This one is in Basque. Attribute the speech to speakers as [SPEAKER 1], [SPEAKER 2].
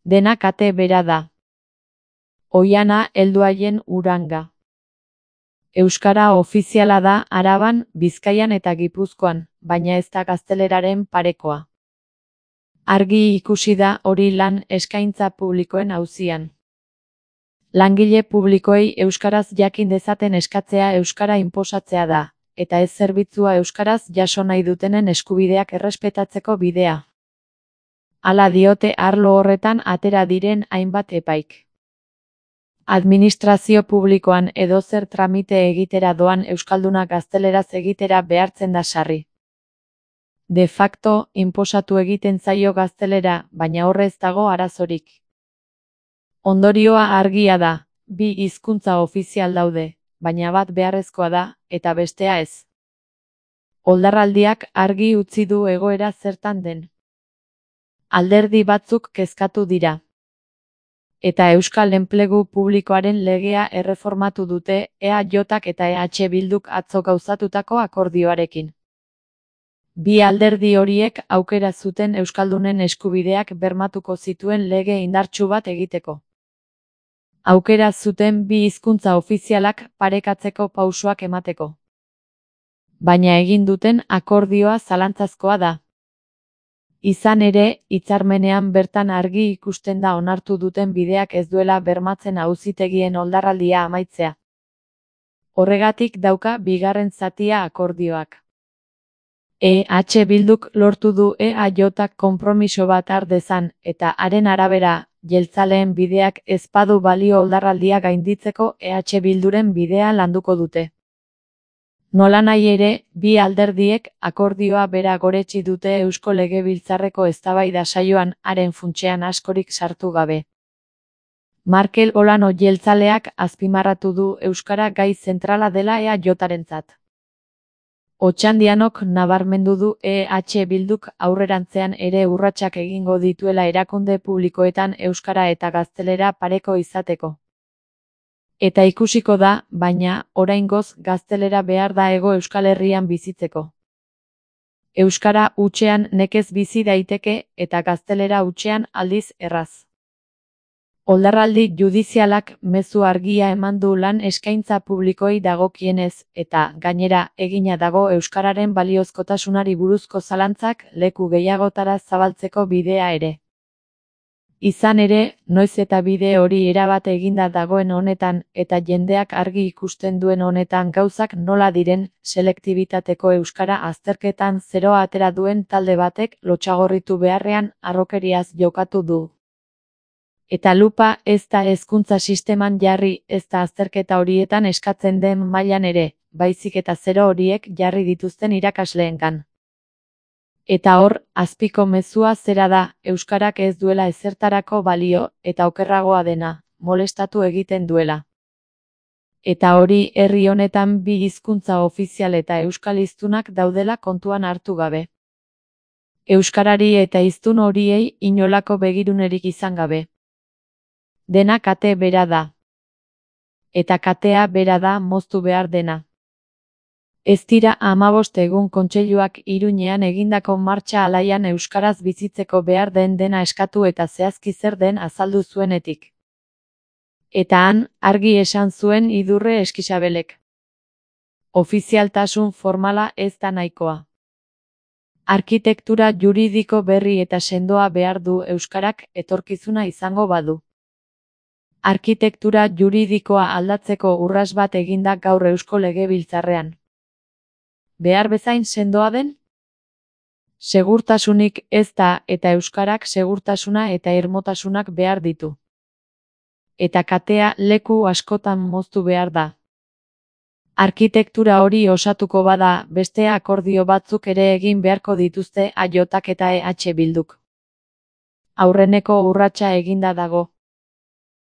[SPEAKER 1] Dena kate bera da. Oiana heldu haien uranga. Euskara ofiziala da Araban, Bizkaian eta Gipuzkoan, baina ez da gazteleraren parekoa. Argi ikusi da hori lan eskaintza publikoen auzian. Langile publikoei euskaraz jakin dezaten eskatzea euskara inposatzea da, eta ez zerbitzua euskaraz jaso nahi dutenen eskubideak errespetatzeko bidea. Hala diote arlo horretan atera diren hainbat epaik. Administrazio publikoan edozer tramite egitera doan euskalduna gazteleraz egitera behartzen da sarri. De facto, inposatu egiten zaio gaztelera, baina horrez dago arazorik. Ondorioa argia da, bi hizkuntza ofizial daude, baina bat beharrezkoa da, eta bestea ez. Oldarraldiak argi utzi du egoera zertan den. Alderdi batzuk kezkatu dira. Eta Euskal Enplegu Publikoaren legea erreformatu dute EAJak eta EH Bilduk atzo gauzatutako akordioarekin. Bi alderdi horiek aukera zuten euskaldunen eskubideak bermatuko zituen lege indartsu bat egiteko. Aukera zuten bi hizkuntza ofizialak parekatzeko pausoak emateko. Baina egin duten akordioa zalantzazkoa da. Izan ere, hitzarmenean bertan argi ikusten da onartu duten bideak ez duela bermatzen auzitegien oldarraldia amaitzea. Horregatik dauka bigarren zatia akordioak. EH Bilduk lortu du EAJak konpromiso bat har dezan, eta haren arabera, jeltzaleen bideak ez badu balio oldarraldia gainditzeko EH Bilduren bidea landuko dute. Nolanahi ere, bi alderdiek akordioa bera goretsi dute Eusko Legebiltzarreko eztabaida saioan haren funtsean askorik sartu gabe. Markel Olano jeltzaleak azpimarratu du euskara gai zentrala dela EAJarentzat. Otxandianok nabarmendu du EH Bilduk aurrerantzean ere urratsak egingo dituela erakunde publikoetan euskara eta gaztelera pareko izateko. Eta ikusiko da, baina, oraingoz gaztelera behar da Hego Euskal Herrian bizitzeko. Euskara hutsean nekez bizi daiteke eta gaztelera hutsean aldiz erraz. Oldarraldi judizialak mezu argia eman du lan eskaintza publikoei dagokienez, eta, gainera, egina dago euskararen baliozkotasunari buruzko zalantzak leku gehiagotara zabaltzeko bidea ere. Izan ere, noiz eta bide hori erabat eginda dagoen honetan eta jendeak argi ikusten duen honetan gauzak nola diren, selektibitateko euskara azterketan zeroa atera duen talde batek lotsagorritu beharrean harrokeriaz jokatu du. Eta lupa ez da hezkuntza sisteman jarri ez da azterketa horietan eskatzen den mailan ere, baizik eta zero horiek jarri dituzten irakasleengan. Eta hor, azpiko mezua zera da, euskarak ez duela ezertarako balio, eta okerragoa dena, molestatu egiten duela. Eta hori herri honetan bi hizkuntza ofizial eta euskal hiztunak daudela kontuan hartu gabe. Euskarari eta hiztun horiei inolako begirunerik izan gabe. Dena kate bera da. Eta katea bera da moztu behar dena. Ez dira 15 egun kontseiluak Iruñean egindako martxa alaian euskaraz bizitzeko behar den dena eskatu eta zehazki zer den azaldu zuenetik. Eta han, argi esan zuen Idurre Eskixabelek. Ofizialtasun formala ez da nahikoa. Arkitektura juridiko berri eta sendoa behar du euskarak etorkizuna izango badu. Arkitektura juridikoa aldatzeko urrats bat eginda gaur Eusko Legebiltzarrean. Behar bezain sendoa den? Segurtasunik ez da eta euskarak segurtasuna eta irmotasunak behar ditu. Eta katea leku askotan moztu behar da. Arkitektura hori osatuko bada, beste akordio batzuk ere egin beharko dituzte EAJak eta EH Bilduk. Aurreneko urratsa eginda dago.